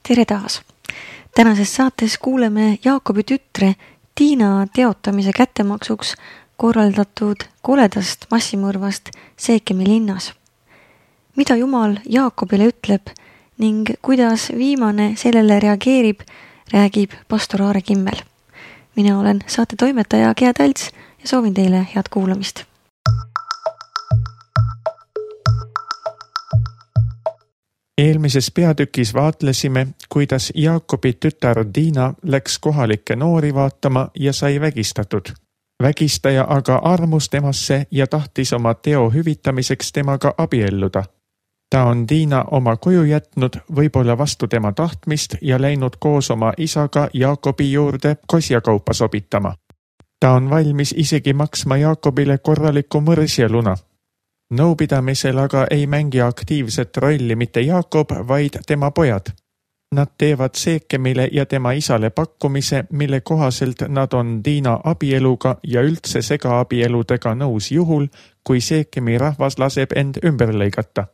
Tere taas! Tänases saates kuuleme Jaakobi tütre Tiina teotamise kättemaksuks korraldatud koledast massimõrvast Seekemi linnas. Mida Jumal Jaakobile ütleb ning kuidas viimane sellele reageerib, räägib pastor Aare Kimmel. Mina olen saate toimetaja Gea Talts ja soovin teile head kuulamist. Eelmises peatükis vaatlesime, kuidas Jaakobi tütar Tiina läks kohalikke noori vaatama ja sai vägistatud. Vägistaja aga armus temasse ja tahtis oma teo hüvitamiseks temaga abielluda. Ta on Tiina oma koju jätnud, võib-olla vastu tema tahtmist ja läinud koos oma isaga Jaakobi juurde kosjakaupa sobitama. Ta on valmis isegi maksma Jaakobile korraliku mõrsjaluna. Nõupidamisel aga ei mängi aktiivset rolli mitte Jaakob, vaid tema pojad. Nad teevad Seekemile ja tema isale pakkumise, mille kohaselt nad on Tiina abieluga ja üldse segaabieludega nõus juhul, kui Seekemi rahvas laseb end ümber lõigata.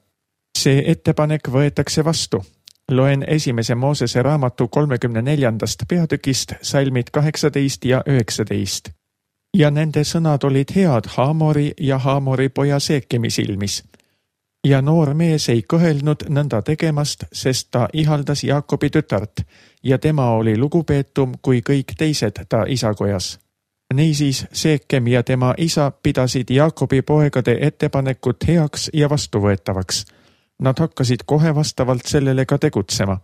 See ettepanek võetakse vastu. Loen 1. Moosese raamatu 34. peatükist salmid 18 ja 19. Ja nende sõnad olid head Haamori ja Haamori poja Seekemi silmis. Ja noor mees ei kõhelnud nõnda tegemast, sest ta ihaldas Jaakobi tütart ja tema oli lugupeetum kui kõik teised ta isakojas. Niisiis Seekem ja tema isa pidasid Jaakobi poegade ettepanekut heaks ja vastuvõetavaks. Nad hakkasid kohe vastavalt sellele ka tegutsema.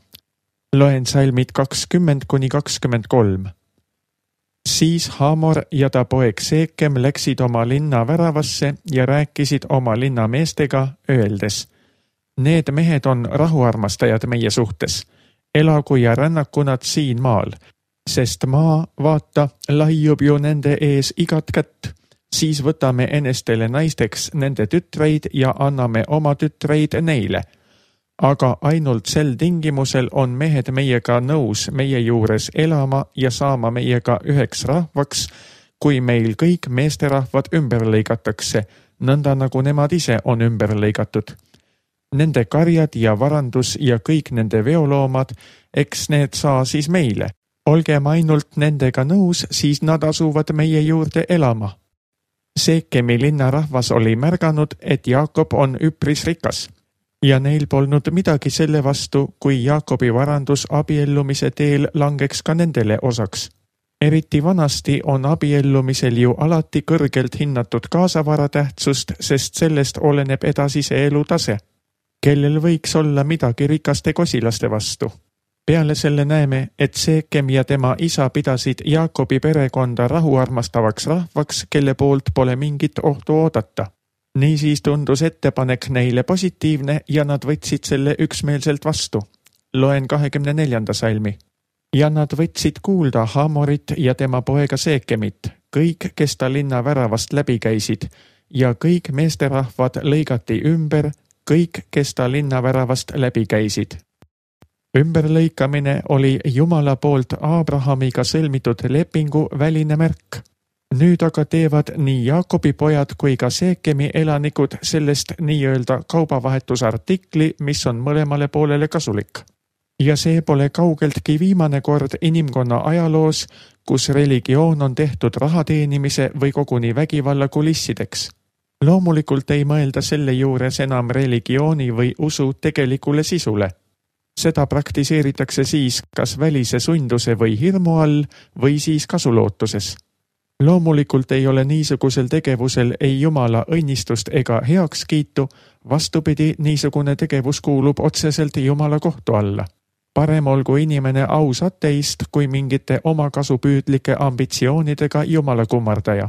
Loen salmid 20-23. Siis Haamor ja ta poeg Seekem läksid oma linna väravasse ja rääkisid oma linna meestega, öeldes: Need mehed on rahuarmastajad meie suhtes. Elagu ja rännaku nad siin maal, sest maa, vaata, laiub ju nende ees igat kätt. Siis võtame enestele naisteks nende tütreid ja anname oma tütreid neile. Aga ainult sel tingimusel on mehed meiega nõus meie juures elama ja saama meiega üheks rahvaks, kui meil kõik meesterahvad ümber lõigatakse, nõnda nagu nemad ise on ümber lõigatud. Nende karjad ja varandus ja kõik nende veoloomad, eks need saa siis meile. Olgem ainult nendega nõus, siis nad asuvad meie juurde elama. Seekemi linna rahvas oli märganud, et Jaakob on üpris rikas. Ja neil polnud midagi selle vastu, kui Jaakobi varandus abiellumise teel langeks ka nendele osaks. Eriti vanasti on abiellumisel ju alati kõrgelt hinnatud kaasavara tähtsust, sest sellest oleneb edasise elu tase. Kellel võiks olla midagi rikaste kosilaste vastu? Peale selle näeme, et Seekem ja tema isa pidasid Jaakobi perekonda rahuarmastavaks rahvaks, kelle poolt pole mingit ohtu oodata. Niisiis tundus ettepanek neile positiivne ja nad võtsid selle üksmeelselt vastu. Loen 24. salmi. Ja nad võtsid kuulda Haamorit ja tema poega Seekemit, kõik, kes ta linna väravast läbi käisid, ja kõik meesterahvad lõigati ümber, kõik, kes ta linna väravast läbi käisid. Ümberlõikamine oli Jumala poolt Abrahamiga sõlmitud lepingu väline märk. Nüüd aga teevad nii Jaakobi pojad kui ka Seekemi elanikud sellest nii-öelda kaubavahetusartikli, mis on mõlemale poolele kasulik. Ja see pole kaugeltki viimane kord inimkonna ajaloos, kus religioon on tehtud rahateenimise või koguni vägivalla kulissideks. Loomulikult ei mõelda selle juures enam religiooni või usu tegelikule sisule. Seda praktiseeritakse siis kas välise sunduse või hirmu all või siis kasulootuses. Loomulikult ei ole niisugusel tegevusel ei Jumala õnnistust ega heakskiitu, vastupidi, niisugune tegevus kuulub otseselt Jumala kohtu alla. Parem olgu inimene aus ateist kui mingite omakasupüüdlike ambitsioonidega Jumala kummardaja.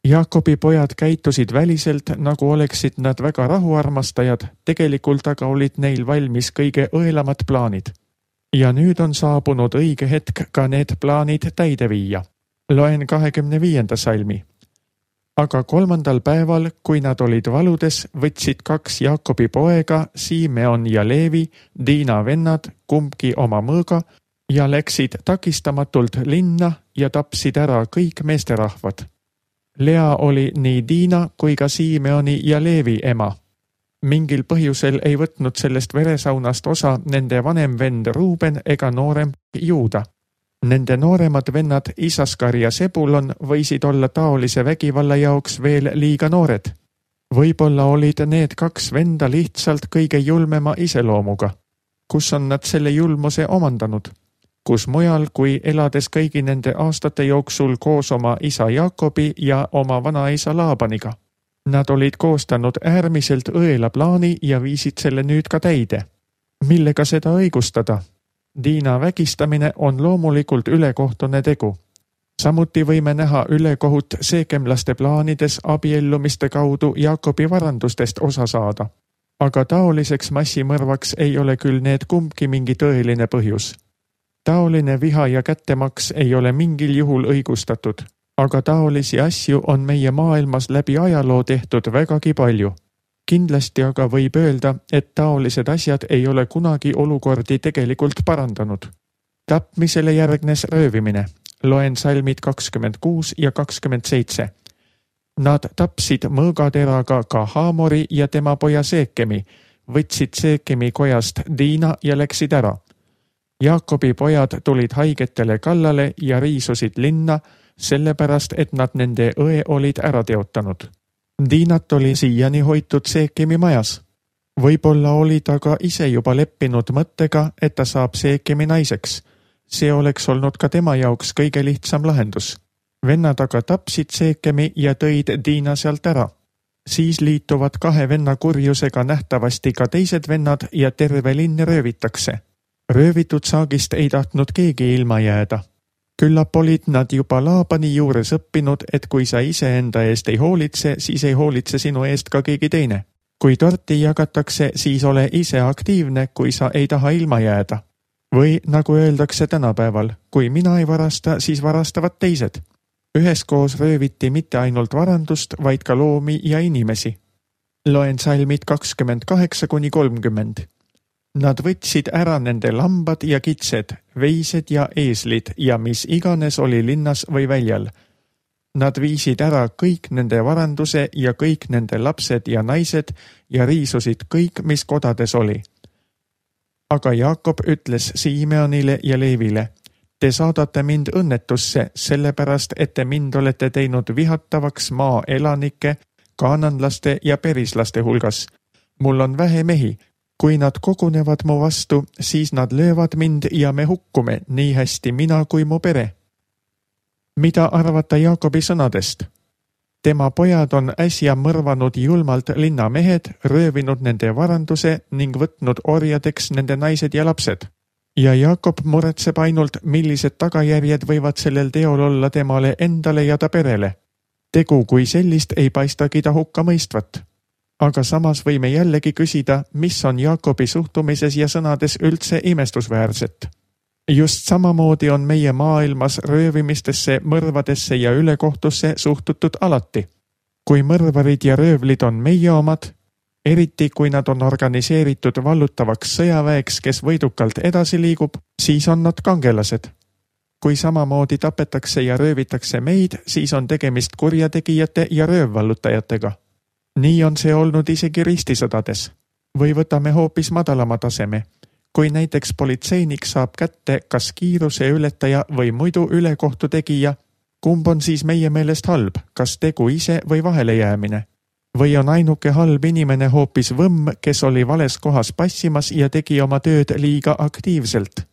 Jaakobi pojad käitusid väliselt, nagu oleksid nad väga rahuarmastajad, tegelikult aga olid neil valmis kõige õelamad plaanid. Ja nüüd on saabunud õige hetk ka need plaanid täide viia. Loen 25. salmi. Aga 3. päeval, kui nad olid valudes, võtsid 2 Jaakobi poega, Simeon ja Leevi, Tiina vennad, kumbki oma mõõga, ja läksid takistamatult linna ja tapsid ära kõik meesterahvad. Lea oli nii Tiina kui ka Simeoni ja Leevi ema. Mingil põhjusel ei võtnud sellest veresaunast osa nende vanem vend Ruuben ega noorem Juuda. Nende nooremad vennad Isaskar ja Sebulon võisid olla taolise vägivalla jaoks veel liiga noored. Võib-olla olid need 2 venda lihtsalt kõige julmema iseloomuga. Kus on nad selle julmuse omandanud? Kus mujal, kui elades kõigi nende aastate jooksul koos oma isa Jaakobi ja oma vanaisa Laabaniga. Nad olid koostanud äärmiselt õela plaani ja viisid selle nüüd ka täide. Millega seda õigustada? Diina vägistamine on loomulikult ülekohtune tegu. Samuti võime näha ülekohut seekemlaste plaanides abiellumiste kaudu Jaakobi varandustest osa saada. Aga taoliseks massimõrvaks ei ole küll need kumbki mingi tõeline põhjus. Taoline viha ja kättemaks ei ole mingil juhul õigustatud, aga taolisi asju on meie maailmas läbi ajaloo tehtud vägagi palju. Kindlasti aga võib öelda, et taolised asjad ei ole kunagi olukordi tegelikult parandanud. Tapmisele järgnes röövimine. Loen salmid 26 ja 27. Nad tapsid mõõgateraga ka Haamori ja tema poja Seekemi, võtsid Seekemi kojast Diina ja läksid ära. Jaakobi pojad tulid haigetele kallale ja riisusid linna, sellepärast et nad nende õe olid ära teotanud. Diinat oli siiani hoitud Seekemi majas. Võib-olla oli ta ka ise juba leppinud mõttega, et ta saab Seekemi naiseks. See oleks olnud ka tema jaoks kõige lihtsam lahendus. Vennad aga tapsid Seekemi ja tõid Diina sealt ära. Siis liituvad 2 venna kurjusega nähtavasti ka teised vennad ja terve linn röövitakse. Röövitud saagist ei tahtnud keegi ilma jääda. Küllap olid nad juba Laabani juures õppinud, et kui sa ise enda eest ei hoolitse, siis ei hoolitse sinu eest ka keegi teine. Kui torti jagatakse, siis ole ise aktiivne, kui sa ei taha ilma jääda. Või nagu öeldakse tänapäeval, kui mina ei varasta, siis varastavad teised. Üheskoos rööviti mitte ainult varandust, vaid ka loomi ja inimesi. Loen salmid 28-30. Nad võtsid ära nende lambad ja kitsed, veised ja eeslid ja mis iganes oli linnas või väljal. Nad viisid ära kõik nende varanduse ja kõik nende lapsed ja naised ja riisusid kõik, mis kodades oli. Aga Jaakob ütles Simeonile ja Leevile, te saadate mind õnnetusse, sellepärast, et te mind olete teinud vihatavaks maa elanike, kaananlaste ja perislaste hulgas. Mul on vähe mehi. Kui nad kogunevad mu vastu, siis nad löövad mind ja me hukkume, nii hästi mina kui mu pere. Mida arvata Jaakobi sõnadest? Tema pojad on äsja mõrvanud julmalt linnamehed, röövinud nende varanduse ning võtnud orjadeks nende naised ja lapsed. Ja Jaakob muretseb ainult, millised tagajärjed võivad sellel teol olla temale endale ja ta perele. Tegu kui sellist ei paistagi ta hukka mõistvat. Aga samas võime jällegi küsida, mis on Jaakobi suhtumises ja sõnades üldse imestusväärset. Just samamoodi on meie maailmas röövimistesse, mõrvadesse ja ülekohtusse suhtutud alati. Kui mõrvarid ja röövlid on meie omad, eriti kui nad on organiseeritud vallutavaks sõjaväeks, kes võidukalt edasi liigub, siis on nad kangelased. Kui samamoodi tapetakse ja röövitakse meid, siis on tegemist kurjategijate ja röövvallutajatega. Nii on see olnud isegi ristisõdades. Või võtame hoopis madalama taseme. Kui näiteks politseinik saab kätte kas kiiruse ületaja või muidu ülekohtu tegija, kumb on siis meie meelest halb, kas tegu ise või vahelejäämine? Või on ainuke halb inimene hoopis võmm, kes oli vales kohas passimas ja tegi oma tööd liiga aktiivselt?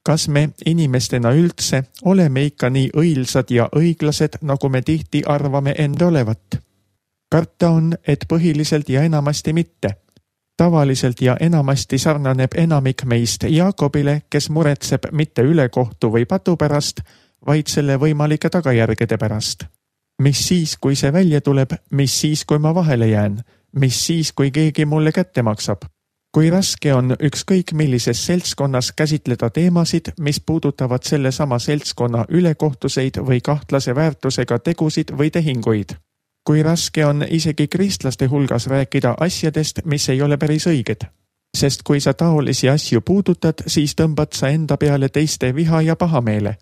Kas me inimestena üldse oleme ikka nii õilsad ja õiglased, nagu me tihti arvame enda olevat? Karta on, et põhiliselt ja enamasti mitte. Tavaliselt ja enamasti sarnaneb enamik meist Jaakobile, kes muretseb mitte ülekohtu või patu pärast, vaid selle võimalike tagajärgede pärast. Mis siis, kui see välja tuleb, mis siis, kui ma vahele jään, mis siis, kui keegi mulle kätte maksab? Kui raske on ükskõik millises seltskonnas käsitleda teemasid, mis puudutavad sellesama seltskonna ülekohtuseid või kahtlase väärtusega tegusid või tehinguid? Kui raske on isegi kristlaste hulgas rääkida asjadest, mis ei ole päris õiged. Sest kui sa taolisi asju puudutad, siis tõmbad sa enda peale teiste viha ja pahameele.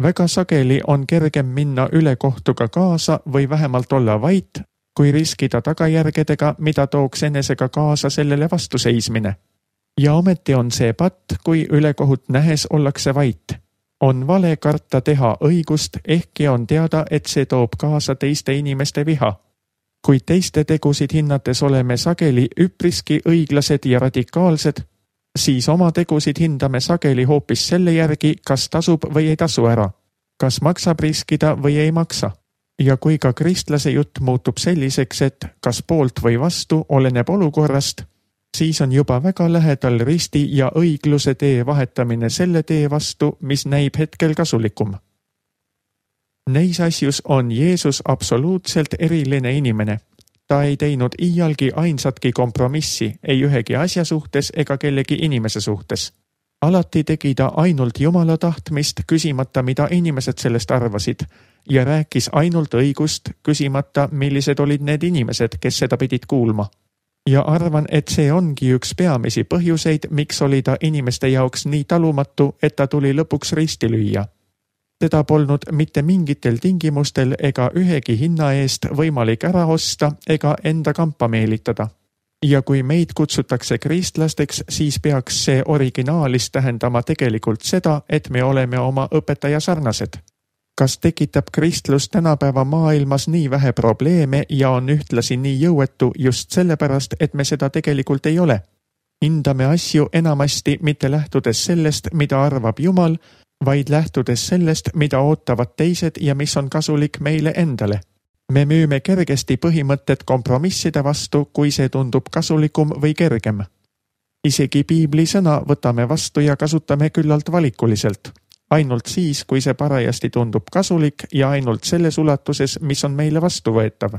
Väga sageli on kergem minna ülekohtuga kaasa või vähemalt olla vait, kui riskida tagajärgedega, mida tooks enesega kaasa sellele vastuseismine. Ja ometi on see patt, kui ülekohut nähes ollakse vait. On vale karta teha õigust, ehkki on teada, et see toob kaasa teiste inimeste viha. Kuid teiste tegusid hinnates oleme sageli üpriski õiglased ja radikaalsed, siis oma tegusid hindame sageli hoopis selle järgi, kas tasub või ei tasu ära, kas maksab riskida või ei maksa. Ja kui ka kristlase jutt muutub selliseks, et kas poolt või vastu oleneb olukorrast, siis on juba väga lähedal risti ja õigluse tee vahetamine selle tee vastu, mis näib hetkel kasulikum. Neis asjus on Jeesus absoluutselt eriline inimene. Ta ei teinud iialgi ainsatki kompromissi, ei ühegi asja suhtes ega kellegi inimese suhtes. Alati tegi ta ainult Jumala tahtmist, küsimata, mida inimesed sellest arvasid, ja rääkis ainult õigust, küsimata, millised olid need inimesed, kes seda pidid kuulma. Ja arvan, et see ongi üks peamisi põhjuseid, miks oli ta inimeste jaoks nii talumatu, et ta tuli lõpuks risti lüüa. Teda polnud mitte mingitel tingimustel ega ühegi hinna eest võimalik ära osta ega enda kampa meelitada. Ja kui meid kutsutakse kristlasteks, siis peaks see originaalis tähendama tegelikult seda, et me oleme oma õpetaja sarnased. Kas tekitab kristlus tänapäeva maailmas nii vähe probleeme ja on ühtlasi nii jõuetu just sellepärast, et me seda tegelikult ei ole? Hindame asju enamasti mitte lähtudes sellest, mida arvab Jumal, vaid lähtudes sellest, mida ootavad teised ja mis on kasulik meile endale. Me müüme kergesti põhimõtted kompromisside vastu, kui see tundub kasulikum või kergem. Isegi piibli sõna võtame vastu ja kasutame küllalt valikuliselt. Ainult siis, kui see parajasti tundub kasulik ja ainult selles ulatuses, mis on meile vastuvõetav.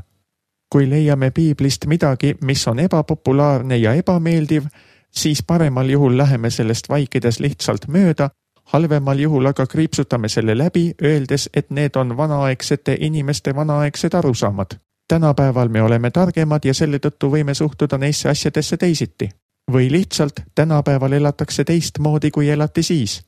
Kui leiame piiblist midagi, mis on ebapopulaarne ja ebameeldiv, siis paremal juhul läheme sellest vaikides lihtsalt mööda, halvemal juhul aga kriipsutame selle läbi, öeldes, et need on vanaaegsete inimeste vanaaegsed arusaamad. Tänapäeval me oleme targemad ja selle tõttu võime suhtuda neisse asjadesse teisiti. Või lihtsalt tänapäeval elatakse teistmoodi, kui elati siis.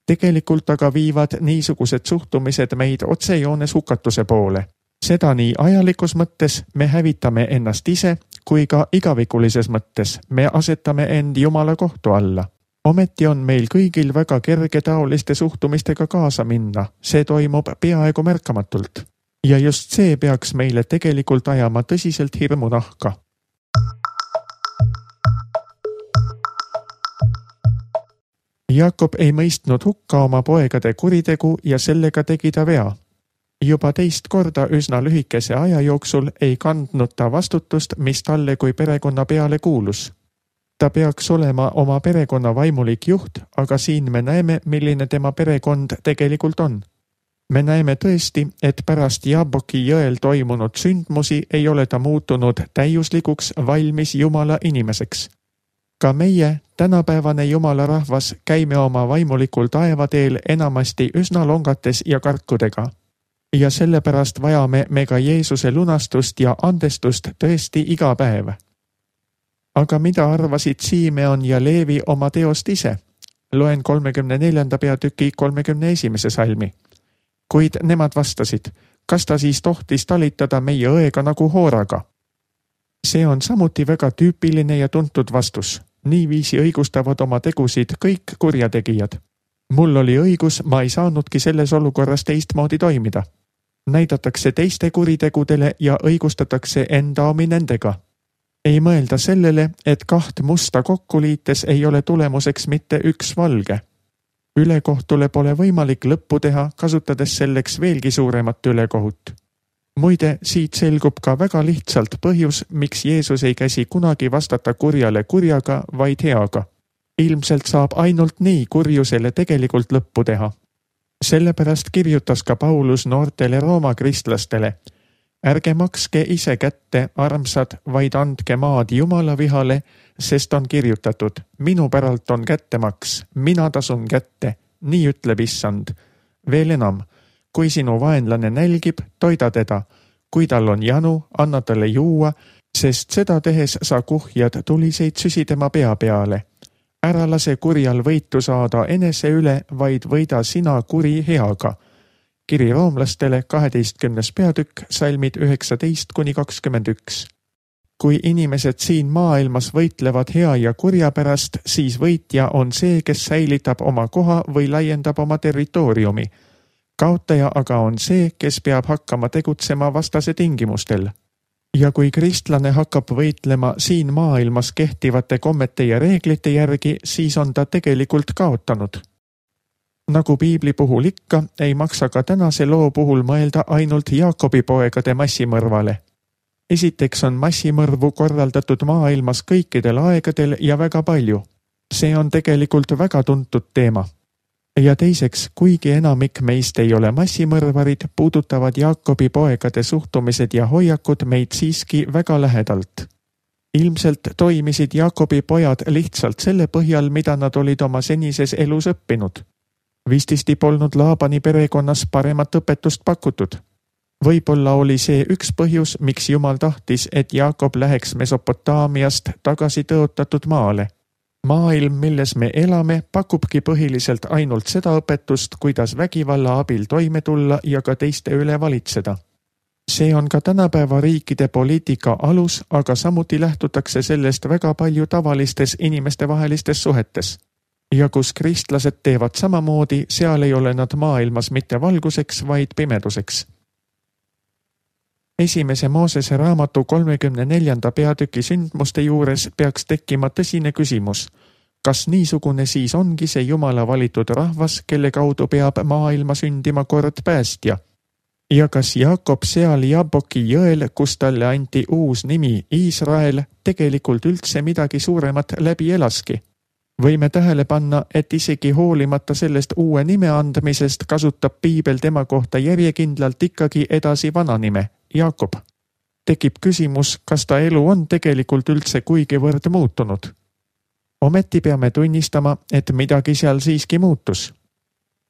Tegelikult aga viivad niisugused suhtumised meid otsejoones hukatuse poole. Seda nii ajalikus mõttes me hävitame ennast ise, kui ka igavikulises mõttes me asetame end Jumala kohtu alla. Ometi on meil kõigil väga kerge taoliste suhtumistega kaasa minna, see toimub peaaegu märkamatult. Ja just see peaks meile tegelikult ajama tõsiselt hirmu nahka. Jaakob ei mõistnud hukka oma poegade kuritegu ja sellega tegi ta vea. Juba teist korda üsna lühikese aja jooksul ei kandnud ta vastutust, mis talle kui perekonna peale kuulus. Ta peaks olema oma perekonna vaimulik juht, aga siin me näeme, milline tema perekond tegelikult on. Me näeme tõesti, et pärast Jaaboki jõel toimunud sündmusi ei ole ta muutunud täiuslikuks valmis Jumala inimeseks. Ka meie, tänapäevane Jumala rahvas, käime oma vaimulikul taevateel enamasti üsna longates ja karkudega. Ja sellepärast vajame me ka Jeesuse lunastust ja andestust tõesti iga päev. Aga mida arvasid Simeon ja Leevi oma teost ise? Loen 34. peatüki 31. salmi. Kuid nemad vastasid, kas ta siis tohtis talitada meie õega nagu hooraga? See on samuti väga tüüpiline ja tuntud vastus. Niiviisi õigustavad oma tegusid kõik kurjategijad. Mul oli õigus, ma ei saanudki selles olukorras teistmoodi toimida. Näidatakse teiste kuritegudele ja õigustatakse enda omi nendega. Ei mõelda sellele, et kaht musta kokku liites ei ole tulemuseks mitte üks valge. Ülekohtule pole võimalik lõppu teha, kasutades selleks veelgi suuremat ülekohut. Muide, siit selgub ka väga lihtsalt põhjus, miks Jeesus ei käsi kunagi vastata kurjale kurjaga, vaid heaga. Ilmselt saab ainult nii kurjusele tegelikult lõppu teha. Sellepärast kirjutas ka Paulus noortele Rooma kristlastele. Ärge makske ise kätte, armsad, vaid andke maad Jumala vihale, sest on kirjutatud, minu päralt on kättemaks, mina tasun kätte, nii ütleb Issand. Veel enam, kui sinu vaenlane nälgib, toida teda, kui tal on janu, anna talle juua, sest seda tehes sa kuhjad tuliseid süsi tema pea peale. Ära lase kurjal võitu saada enese üle, vaid võida sina kuri heaga. kiri roomlastele 12. peatükk, salmid 19-21. Kui inimesed siin maailmas võitlevad hea ja kurja pärast, siis võitja on see, kes säilitab oma koha või laiendab oma territooriumi. Kaotaja aga on see, kes peab hakkama tegutsema vastase tingimustel. Ja kui kristlane hakkab võitlema siin maailmas kehtivate kommete ja reeglite järgi, siis on ta tegelikult kaotanud. Nagu piibli puhul ikka, ei maksa ka tänase loo puhul mõelda ainult Jaakobi poegade massimõrvale. Esiteks on massimõrvu korraldatud maailmas kõikidel aegadel ja väga palju. See on tegelikult väga tuntud teema. Ja teiseks, kuigi enamik meist ei ole massimõrvarid, puudutavad Jaakobi poegade suhtumised ja hoiakud meid siiski väga lähedalt. Ilmselt toimisid Jaakobi pojad lihtsalt selle põhjal, mida nad olid oma senises elus õppinud. Vististi polnud Laabani perekonnas paremat õpetust pakutud. Võib-olla oli see üks põhjus, miks Jumal tahtis, et Jaakob läheks Mesopotaamiast tagasi tõotatud maale. Maailm, milles me elame, pakubki põhiliselt ainult seda õpetust, kuidas vägivalla abil toime tulla ja ka teiste üle valitseda. See on ka tänapäeva riikide poliitika alus, aga samuti lähtutakse sellest väga palju tavalistes inimestevahelistes suhetes. Ja kus kristlased teevad samamoodi, seal ei ole nad maailmas mitte valguseks, vaid pimeduseks. Esimese Moosese raamatu 34. peatüki sündmuste juures peaks tekkima tõsine küsimus. Kas niisugune siis ongi see Jumala valitud rahvas, kelle kaudu peab maailma sündima kord päästja? Ja kas Jaakob seal Jabboki jõel, kus talle anti uus nimi Iisrael, tegelikult üldse midagi suuremat läbi elaski? Võime tähele panna, et isegi hoolimata sellest uue nime andmisest kasutab piibel tema kohta järjekindlalt ikkagi edasi vana nime, Jaakob. Tekib küsimus, kas ta elu on tegelikult üldse kuigivõrd muutunud. Ometi peame tunnistama, et midagi seal siiski muutus.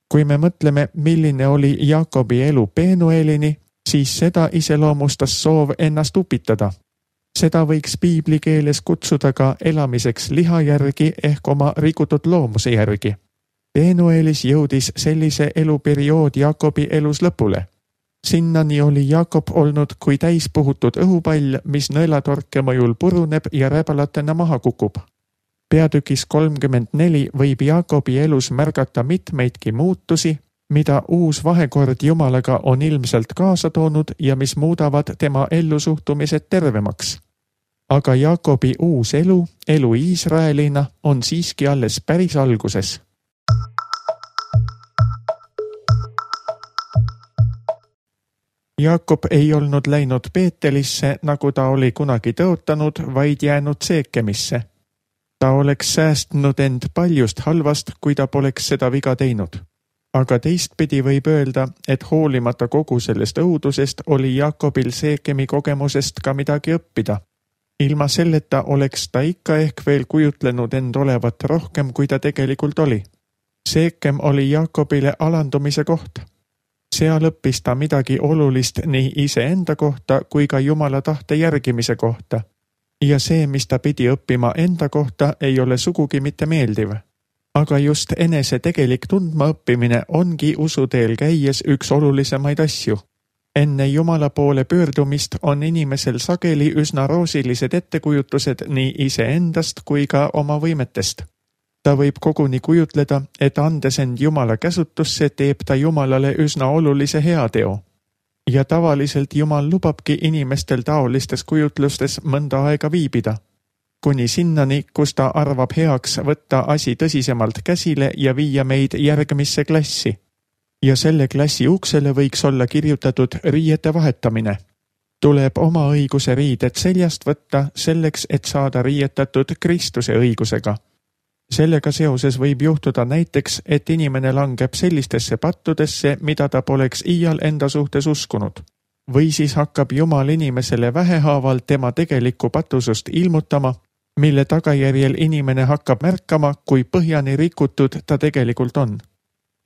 Kui me mõtleme, milline oli Jaakobi elu Penuelini, siis seda iseloomustas soov ennast upitada. Seda võiks piibli keeles kutsuda ka elamiseks liha järgi ehk oma rikutud loomuse järgi. Penuelis jõudis sellise eluperiood Jaakobi elus lõpule. Sinnani oli Jaakob olnud kui täispuhutud õhupall, mis nõelatorke mõjul puruneb ja räbalatena maha kukub. Peatükis 34 võib Jaakobi elus märgata mitmeidki muutusi, mida uus vahekord Jumalaga on ilmselt kaasa toonud ja mis muudavad tema ellusuhtumised tervemaks. Aga Jaakobi uus elu Iisraelina, on siiski alles päris alguses. Jaakob ei olnud läinud Beetelisse, nagu ta oli kunagi tõotanud, vaid jäänud Seekemisse. Ta oleks säästnud end paljust halvast, kui ta poleks seda viga teinud. Aga teistpidi võib öelda, et hoolimata kogu sellest õudusest oli Jaakobil Seekemi kogemusest ka midagi õppida. Ilma selleta oleks ta ikka ehk veel kujutlenud end olevat rohkem, kui ta tegelikult oli. Seekem oli Jaakobile alandumise koht. Seal õppis ta midagi olulist nii iseenda kohta kui ka Jumala tahte järgimise kohta. Ja see, mis ta pidi õppima enda kohta, ei ole sugugi mitte meeldiv. Aga just enese tegelik tundmaõppimine ongi usuteel käies üks olulisemaid asju. Enne Jumala poole pöördumist on inimesel sageli üsna roosilised ettekujutused nii iseendast kui ka oma võimetest. Ta võib koguni kujutleda, et andes end Jumala käsutusse teeb ta Jumalale üsna olulise heateo. Ja tavaliselt Jumal lubabki inimestel taolistes kujutlustes mõnda aega viibida. Kuni sinnani, kus ta arvab heaks võtta asi tõsisemalt käsile ja viia meid järgmisse klassi. Ja selle klassi uksele võiks olla kirjutatud riiete vahetamine. Tuleb oma õiguse riided seljast võtta selleks, et saada riietatud Kristuse õigusega. Sellega seoses võib juhtuda näiteks, et inimene langeb sellistesse pattudesse, mida ta poleks iial enda suhtes uskunud. Või siis hakkab Jumal inimesele vähehaaval tema tegelikku patusust ilmutama, mille tagajärjel inimene hakkab märkama, kui põhjani rikutud ta tegelikult on.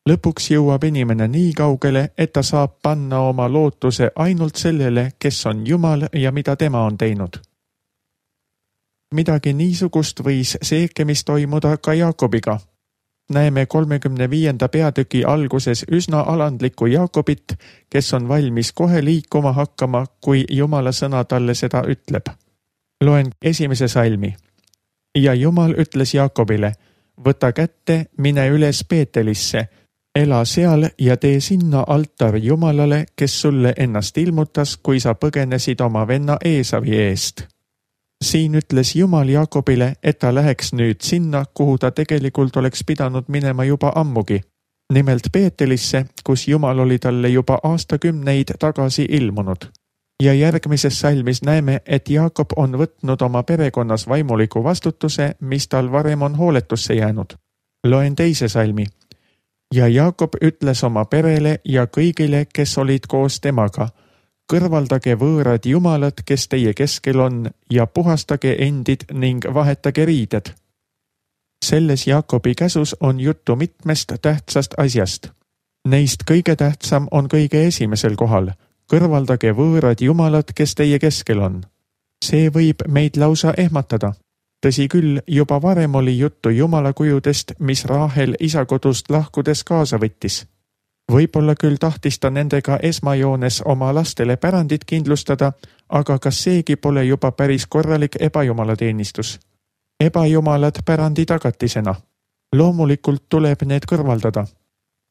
Lõpuks jõuab inimene nii kaugele, et ta saab panna oma lootuse ainult sellele, kes on Jumal ja mida tema on teinud. Midagi niisugust võis Seekemis toimuda ka Jaakobiga. näeme 35. peatüki alguses üsna alandlikku Jaakobit, kes on valmis kohe liikuma hakkama, kui Jumala sõna talle seda ütleb. Loen 1. salmi. Ja Jumal ütles Jaakobile, võta kätte, mine üles Beetelisse, ela seal ja tee sinna altar Jumalale, kes sulle ennast ilmutas, kui sa põgenesid oma venna Eesavi eest. Siin ütles Jumal Jaakobile, et ta läheks nüüd sinna, kuhu ta tegelikult oleks pidanud minema juba ammugi. Nimelt Beetelisse, kus Jumal oli talle juba aastakümneid tagasi ilmunud. Ja järgmises salmis näeme, et Jaakob on võtnud oma perekonnas vaimuliku vastutuse, mis tal varem on hooletusse jäänud. Loen 2. salmi. Ja Jaakob ütles oma perele ja kõigile, kes olid koos temaga, kõrvaldage võõrad jumalad, kes teie keskel on, ja puhastage endid ning vahetage riided. Selles Jaakobi käsus on juttu mitmest tähtsast asjast. Neist kõige tähtsam on kõige esimesel kohal. Kõrvaldage võõrad jumalad, kes teie keskel on. See võib meid lausa ehmatada. Tõsi küll, juba varem oli juttu jumalakujudest, mis Raahel isa kodust lahkudes kaasa võttis. Võib-olla küll tahtis ta nendega esmajoones oma lastele pärandit kindlustada, aga kas seegi pole juba päris korralik ebajumalateenistus? Ebajumalad pärandi tagatisena. Loomulikult tuleb need kõrvaldada.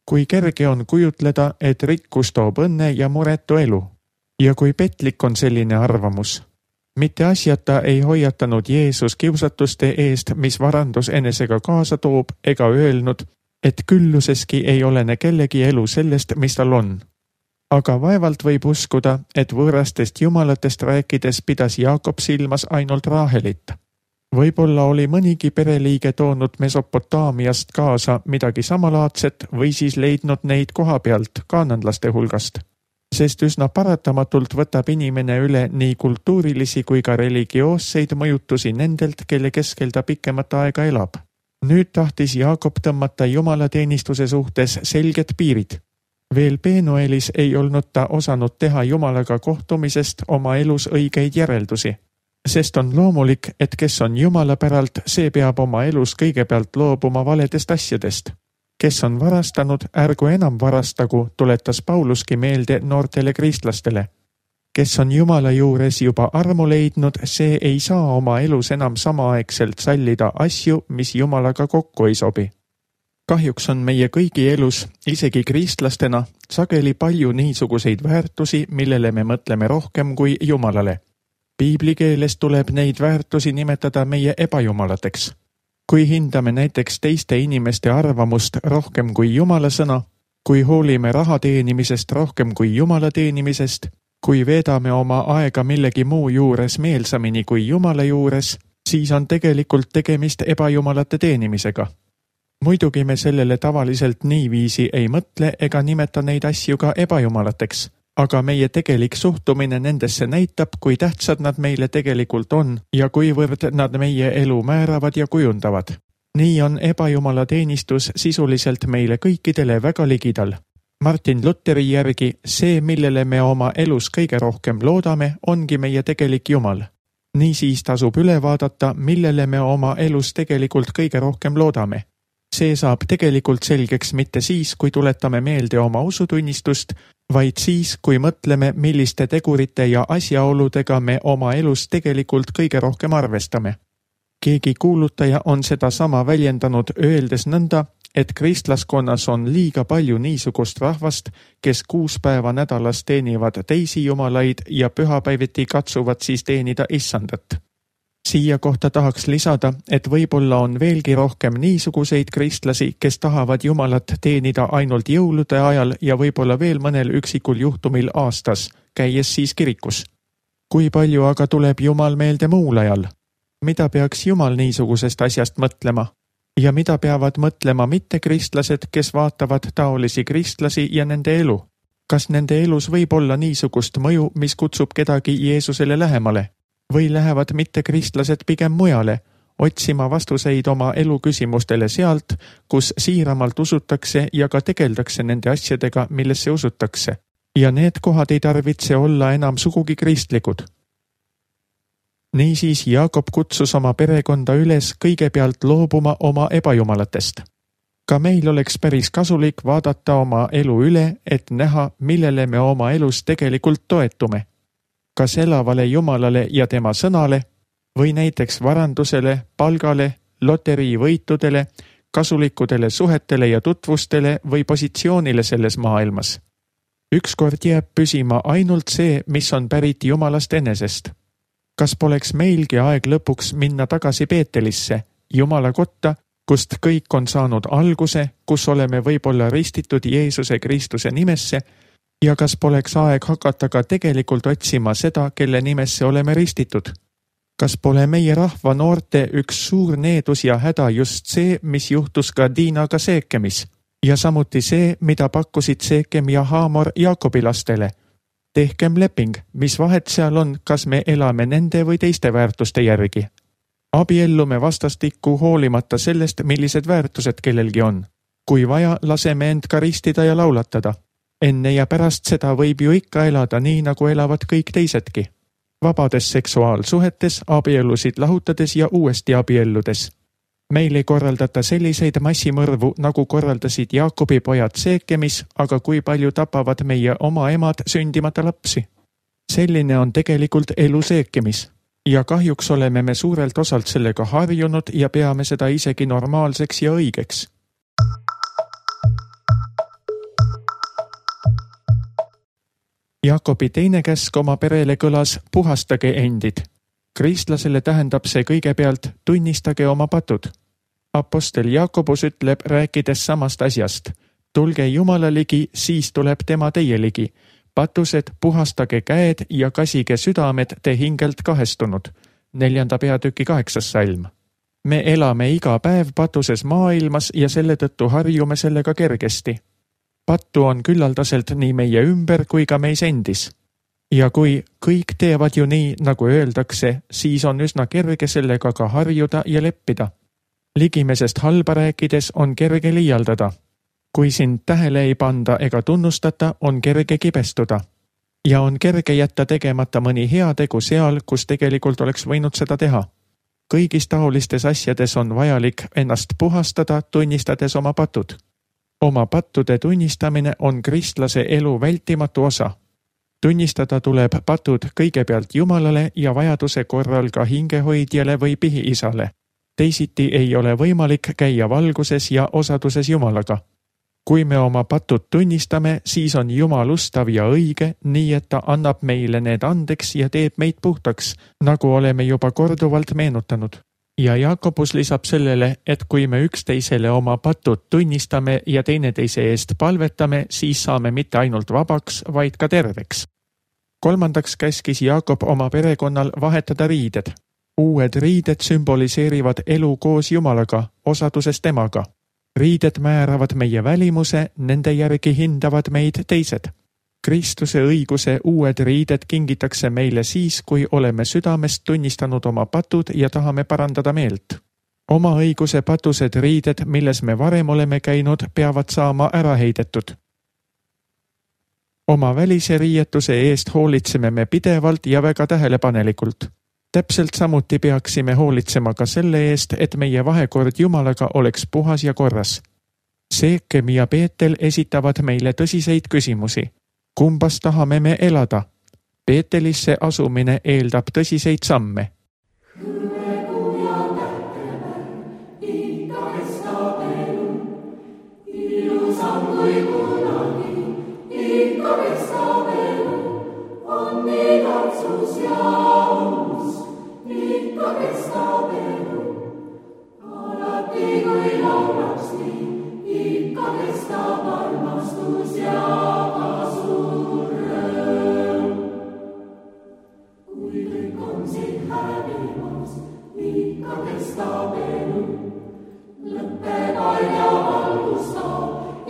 Kui kerge on kujutleda, et rikkus toob õnne ja muretu elu. Ja kui petlik on selline arvamus. Mitte asjata ei hoiatanud Jeesus kiusatuste eest, mis varandus enesega kaasa toob, ega öelnud, et külluseski ei olene kellegi elu sellest, mis tal on. Aga vaevalt võib uskuda, et võõrastest jumalatest rääkides pidas Jaakob silmas ainult Raahelit. Võib-olla oli mõnigi pereliige toonud Mesopotaamiast kaasa midagi samalaadset või siis leidnud neid koha pealt kaananlaste hulgast. Sest üsna paratamatult võtab inimene üle nii kultuurilisi kui ka religioosseid mõjutusi nendelt, kelle keskel ta pikemat aega elab. Nüüd tahtis Jaakob tõmmata jumalateenistuse suhtes selged piirid. Veel Penuelis ei olnud ta osanud teha Jumalaga kohtumisest oma elus õigeid järeldusi. Sest on loomulik, et kes on Jumala päralt, see peab oma elus kõigepealt loobuma valedest asjadest. Kes on varastanud, ärgu enam varastagu, tuletas Pauluski meelde noortele kristlastele. Kes on Jumala juures juba armu leidnud, see ei saa oma elus enam samaaegselt sallida asju, mis Jumalaga kokku ei sobi. Kahjuks on meie kõigi elus, isegi kristlastena, sageli palju niisuguseid väärtusi, millele me mõtleme rohkem kui Jumalale. Piibli keeles tuleb neid väärtusi nimetada meie ebajumalateks. Kui hindame näiteks teiste inimeste arvamust rohkem kui Jumala sõna, kui hoolime raha teenimisest rohkem kui Jumala teenimisest, kui veedame oma aega millegi muu juures meelsamini kui Jumala juures, siis on tegelikult tegemist ebajumalate teenimisega. Muidugi me sellele tavaliselt niiviisi ei mõtle ega nimeta neid asju ka ebajumalateks. Aga meie tegelik suhtumine nendesse näitab, kui tähtsad nad meile tegelikult on ja kuivõrd nad meie elu määravad ja kujundavad. Nii on ebajumala teenistus sisuliselt meile kõikidele väga ligidal. Martin Lutheri järgi see, millele me oma elus kõige rohkem loodame, ongi meie tegelik Jumal. Niisiis tasub üle vaadata, millele me oma elus tegelikult kõige rohkem loodame. See saab tegelikult selgeks mitte siis, kui tuletame meelde oma usutunnistust, vaid siis, kui mõtleme, milliste tegurite ja asjaoludega me oma elus tegelikult kõige rohkem arvestame. Keegi kuulutaja on seda sama väljendanud öeldes nõnda, et kristlaskonnas on liiga palju niisugust rahvast, kes 6 päeva nädalas teenivad teisi jumalaid ja pühapäeviti katsuvad siis teenida issandat. Siia kohta tahaks lisada, et võib-olla on veelgi rohkem niisuguseid kristlasi, kes tahavad Jumalat teenida ainult jõulude ajal ja võib-olla veel mõnel üksikul juhtumil aastas, käies siis kirikus. Kui palju aga tuleb Jumal meelde muul ajal? Mida peaks Jumal niisugusest asjast mõtlema? Ja mida peavad mõtlema mittekristlased, kes vaatavad taolisi kristlasi ja nende elu? Kas nende elus võib olla niisugust mõju, mis kutsub kedagi Jeesusele lähemale? Või lähevad mittekristlased pigem mujale, otsima vastuseid oma elu küsimustele sealt, kus siiramalt usutakse ja ka tegeldakse nende asjadega, millesse usutakse. Ja need kohad ei tarvitse olla enam sugugi kristlikud. Niisiis Jaakob kutsus oma perekonda üles kõigepealt loobuma oma ebajumalatest. Ka meil oleks päris kasulik vaadata oma elu üle, et näha, millele me oma elus tegelikult toetume. Kas elavale Jumalale ja tema sõnale või näiteks varandusele, palgale, loteriivõitudele, kasulikudele suhetele ja tutvustele või positsioonile selles maailmas. Ükskord jääb püsima ainult see, mis on pärit Jumalast enesest. Kas poleks meilgi aeg lõpuks minna tagasi Peetelisse, Jumala kotta, kust kõik on saanud alguse, kus oleme võib-olla ristitud Jeesuse Kristuse nimesse, ja kas poleks aeg hakata ka tegelikult otsima seda, kelle nimesse oleme ristitud? Kas pole meie rahva noorte üks suur needus ja häda just see, mis juhtus ka Diinaga Seekemis? Ja samuti see, mida pakkusid Seekem ja Haamor Jaakobi lastele. Tehkem leping, mis vahet seal on, kas me elame nende või teiste väärtuste järgi. Abiellume vastastikku hoolimata sellest, millised väärtused kellelgi on. Kui vaja, laseme end karistida ja laulatada. Enne ja pärast seda võib ju ikka elada nii, nagu elavad kõik teisedki. Vabades seksuaalsuhetes, abielusid lahutades ja uuesti abielludes. Meil ei korraldata selliseid massimõrvu, nagu korraldasid Jaakobi pojad Seekemis, aga kui palju tapavad meie oma emad sündimata lapsi. Selline on tegelikult elu Seekemis. Ja kahjuks oleme me suurelt osalt sellega harjunud ja peame seda isegi normaalseks ja õigeks. Jaakobi teine käsk oma perele kõlas puhastage endid. Kristlasele tähendab see kõigepealt tunnistage oma patud. Apostel Jaakobus ütleb, rääkides samast asjast. Tulge Jumala ligi, siis tuleb tema teie ligi. Patused, puhastage käed ja kasige südamed te hingelt kahestunud. 4. peatüki 8. salm. Me elame iga päev patuses maailmas ja selle tõttu harjume sellega kergesti. Pattu on küllaldaselt nii meie ümber kui ka meis endis. Ja kui kõik teevad ju nii, nagu öeldakse, siis on üsna kerge sellega ka harjuda ja leppida. Ligimesest halba rääkides on kerge liialdada. Kui sind tähele ei panda ega tunnustata, on kerge kibestuda. Ja on kerge jätta tegemata mõni hea tegu seal, kus tegelikult oleks võinud seda teha. Kõigis taolistes asjades on vajalik ennast puhastada, tunnistades oma patud. Oma pattude tunnistamine on kristlase elu vältimatu osa. Tunnistada tuleb patud kõigepealt Jumalale ja vajaduse korral ka hingehoidjale või pihiisale. Teisiti ei ole võimalik käia valguses ja osaduses Jumalaga. Kui me oma patud tunnistame, siis on Jumal ustav ja õige, nii et ta annab meile need andeks ja teeb meid puhtaks, nagu oleme juba korduvalt meenutanud. Ja Jaakobus lisab sellele, et kui me üksteisele oma patud tunnistame ja teineteise eest palvetame, siis saame mitte ainult vabaks, vaid ka terveks. 3. käskis Jaakob oma perekonnal vahetada riided. Uued riided sümboliseerivad elu koos Jumalaga, osaduses temaga. Riided määravad meie välimuse, nende järgi hindavad meid teised. Kristuse õiguse uued riided kingitakse meile siis, kui oleme südamest tunnistanud oma patud ja tahame parandada meelt. Oma õiguse patused riided, milles me varem oleme käinud, peavad saama ära heidetud. Oma välise riietuse eest hoolitseme me pidevalt ja väga tähelepanelikult. Täpselt samuti peaksime hoolitsema ka selle eest, et meie vahekord Jumalaga oleks puhas ja korras. Seekem ja Peetel esitavad meile tõsiseid küsimusi. Kumbas tahame me elada? Peetelisse asumine eeldab tõsiseid samme.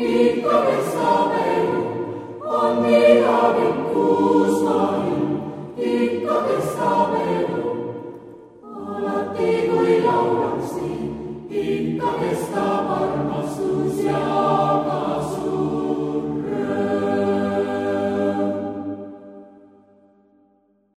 Ikka kestab elu, on midagi, kus ma